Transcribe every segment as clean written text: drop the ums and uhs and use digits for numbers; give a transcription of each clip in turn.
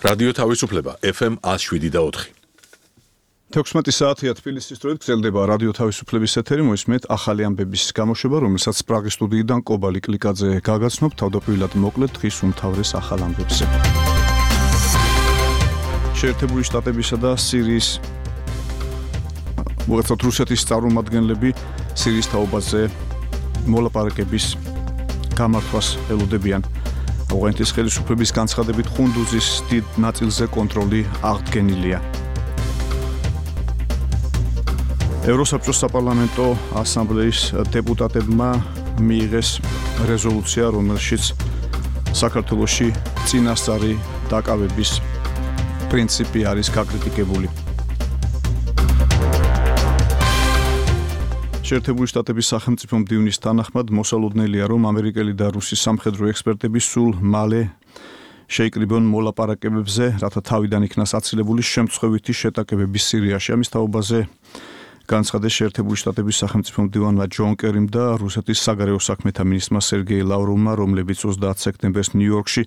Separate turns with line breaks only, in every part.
რადიო თავისუფლება FM 107.4.
16 საათია თბილისის დროით გრძელდება რადიო თავისუფლების ეთერი, მოისმენთ ახალი ამბების გამოშვება, რომელსაც პრაღის სტუდიიდან კობალი კლიკაძე გაგაცნობ თავდაპირველად მოკლედ დღის უმთავრეს ახალ ამბებზე. შეერთებული შტატებისა და სირიის მოეცათ რუსეთის წარმომადგენლები სირიის თაობაზე მოლაპარაკების გამართვას ელოდებიან. ავღანეთის ხელისუფლების განცხადებით ხუნდუზის დიდ ნაწილზე კონტროლი აღდგენილია. ევროსაბჭოს საპარლამენტო ასამბლეის დეპუტატებმა მიიღეს რეზოლუცია, რომელშიც საქართველოში წინასწარი დაკავების პრინციპი არის გაკრიტიკებული. შეერთებული შტატების სახელმწიფო მდივნის თანახმად მოსალოდნელია, რომ ამერიკელი და რუსი სამხედრო ექსპერტები სულ მალე შეიკრიბონ მოლაპარაკებებზე, რათა თავიდან იქნას აცილებული შემთხვევითი შეტაკებების სირიაში. ამის თაობაზე განცხადეს შეერთებული შტატების სახელმწიფო მდივანმა ჯონ კერიმ და რუსეთის საგარეო საქმეთა მინისტრმა სერგეი ლავროვმა, რომლებიც 30 სექტემბერს ნიუ-იორკში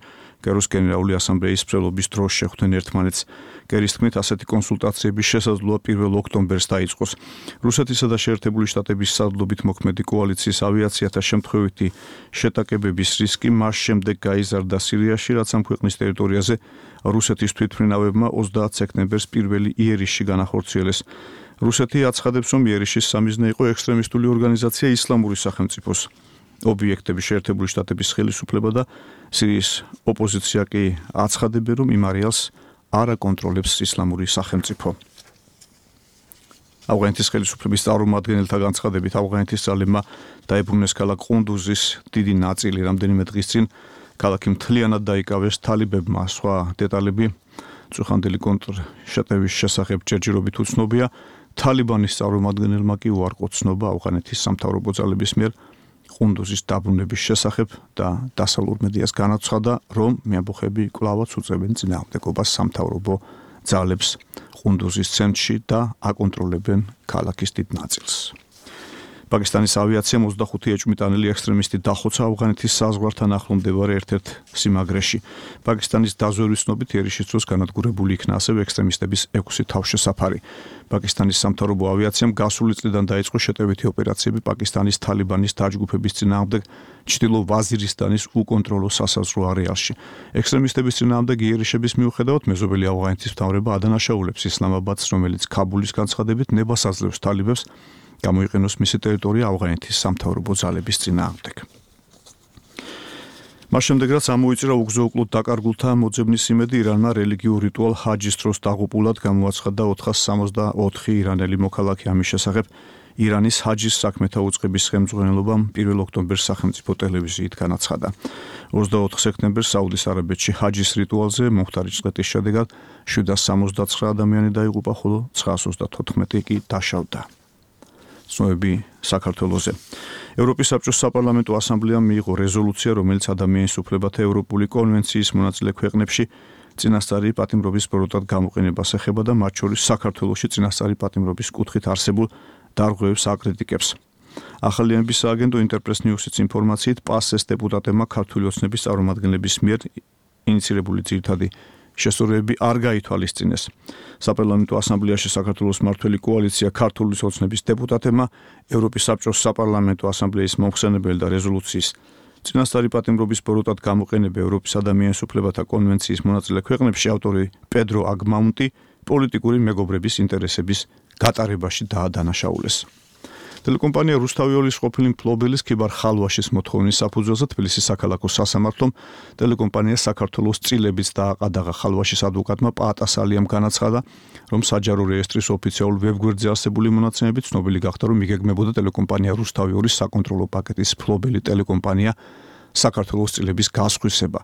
კეროს გენერალური ასამბლეის მსვლელობის დროს შეხვდნენ ერთმანეთს. კერის თქმით, ასეთი კონსულტაციების შესაძლოა 1 ოქტომბერს დაიწყოს. რუსეთისა და შეერთებული შტატების სარდლობით მოქმედი კოალიციის ავიაციათა შემთხვევითი შეტაკებების რისკი მას შემდეგ გაიზარდა სირიაში, რაც ამ ქვეყნის ტერიტორიაზე რუსეთის თვითმფრინავებმა 30 სექტემბერს პირველი იერიშში განახორციელეს. რუსეთი აცხადებს, რომ იერიშის სამიზნე იყო ექსტრემისტული ორგანიზაცია ისლამური სახელმწიფოს ობიექტები. შეერთებული შტატების ხელისუფლება და სირიის ოპოზიცია კი აცხადებენ, რომ იმ არეალს არ აკონტროლებს ისლამური სახელმწიფო. ავღანეთის ხელისუფლების წარმომადგენელთა განცხადებით ავღანეთის ძალებმა დაებრუნეს ქალაქ ყუნდუზის დიდი ნაწილი. რამდენიმე დღის წინ ქალაქი მთლიანად დაიკავეს თალიბებმა. სხვა დეტალები წუხანდელი კონტრშეტევის შესახებ ჯერჯერობით უცნობია. თალიბანის წარმომადგენელმა კი უარყო ცნობა ავღანეთის სამთავრობო ძალების მიერ ყუნდუზის დაბრუნების შესახებ და დასავლურ მედიას განაცხადა, რომ მეამბოხები კვლავაც უწევენ წინააღმდეგობას სამთავრობო ძალებს ყუნდუზის ცენტრში და აკონტროლებენ ქალაქის დიდ ნაწილს. პაკისტანის ავიაციამ 25 ეჭვმიტანილი ექსტრემისტი დახოცა ავღანეთის საზღვართან ახლო მდებარე ერთ-ერთ სიმაგრეში. პაკისტანის დაზვერვის ცნობით იერიშის დროს განადგურებული იქნა ასევე ექსტრემისტების 6 თავშესაფარი. პაკისტანის სამთავრობო ავიაციამ გასული წლიდან დაიწყო შეტევითი ოპერაციები პაკისტანის თალიბანის დაჯგუფების წინააღმდეგ ჩრდილო ვაზირისტანის უკონტროლო სასაზღვრო არეალში. ექსტრემისტების წინააღმდეგ იერიშების მიუხედავად მეზობელი ავღანეთის მთავრობა ადანაშაულებს ისლამაბადს, რომელიც ქაბულის განცხადებით ნებას აძლევს თალიბებს გამოიყენოს მისი ტერიტორია ავღანეთის სამთავრობო ძალების წინააღმდეგ. მას შემდეგ, რაც ამოიწირა უგზო-უკლოდ დაკარგულთა მოძებნის იმედი, ირანმა რელიგიურ რიტუალ ჰაჯის დროს დაღუპულად გამოაცხადა 464 ირანელი მოქალაქე. ამის შესახებ ირანის ჰაჯის საქმეთა უწყების ხელმძღვანელობამ 1 ოქტომბერს სახელმწიფო ტელევიზიით განაცხადა. 24 სექტემბერს საუდის არაბეთში ჰაჯის რიტუალზე მომხდარი ჭყეთის შედეგად 769 ადამიანი დაიღუპა, ხოლო 934 კი დაშავდა. ცნობები საქართველოზე. ევროპის საბჭოს საპარლამენტო ასამბლეამ მიიღო რეზოლუცია, რომელიც ადამიანის უფლებათა ევროპული კონვენციის მონაწილე ქვეყნებში წინასწარი პატიმრობის პროდუქტად გამოყენებას ეხება და მათ შორის საქართველოში წინასწარი პატიმრობის კუთხით არსებულ დარღვევებს აკრიტიკებს. ახალი ამბის სააგენტო ინტერპრეს ნიუსის ინფორმაციით პასეს დეპუტატებმა ქართული ოცნების წარმომადგენლების მიერ ინიცირებული ძირითადი შესწორებები არ გაითვალისწინეს. საპარლამენტო ასამბლეაში საქართველოს მმართველი კოალიცია ქართული ოცნების დეპუტატებმა ევროპის საბჭოს საპარლამენტო ასამბლეის მომხსენებელი და რეზოლუციის წინასწარი პატიმრობის პროდუქტად გამოყენება ევროპის ადამიანის უფლებათა კონვენციის მონაწილე ქვეყნებში ავტორი პედრო აგმაუნტი პოლიტიკური მეგობრების ინტერესების გატარებაში დაადანაშაულეს. ტელეკომპანია რუსთავიოლის ყოფილი მფლობელის ქიბარ ხალვაშის მოთხოვნის საფუძველზე თბილისის საქალაქო სასამართლომ ტელეკომპანიას საქართველოს წილებით დააყადაღა. ხალვაშის ადვოკატმა პაატასალიამ განაცხადა, რომ საჯარო რეესტრის ოფიციალურ ვებგვერდზე არსებული მონაცემებით ცნობილი გახდა, რომ იგეგმებოდა ტელეკომპანია რუსთავიოლის საკონტროლო პაკეტის მფლობელი ტელეკომპანია საქართველოს წილების გასხვისება.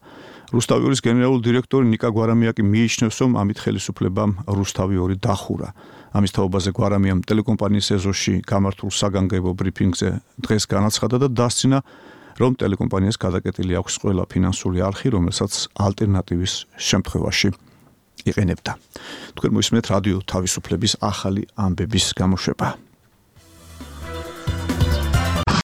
რუსთავიორის გენერალური დირექტორი ნიკა გვარამია კი მიიჩნევს, რომ ამით ხელისუფლებამ რუსთავიორი დახურა. ამის თაობაზე გვარამიამ ტელეკომპანიის ეზოში გამართულ საგანგებო ბრიფინგზე დღეს განაცხადა და დასცინა, რომ ტელეკომპანიას გადაკეტილი აქვს ყველა ფინანსური არხი, რომელსაც ალტერნატივის შემთხვევაში იყენებდა. თქვენ მოისმენთ რადიო თავისუფლების ახალი ამბების გამოშვება.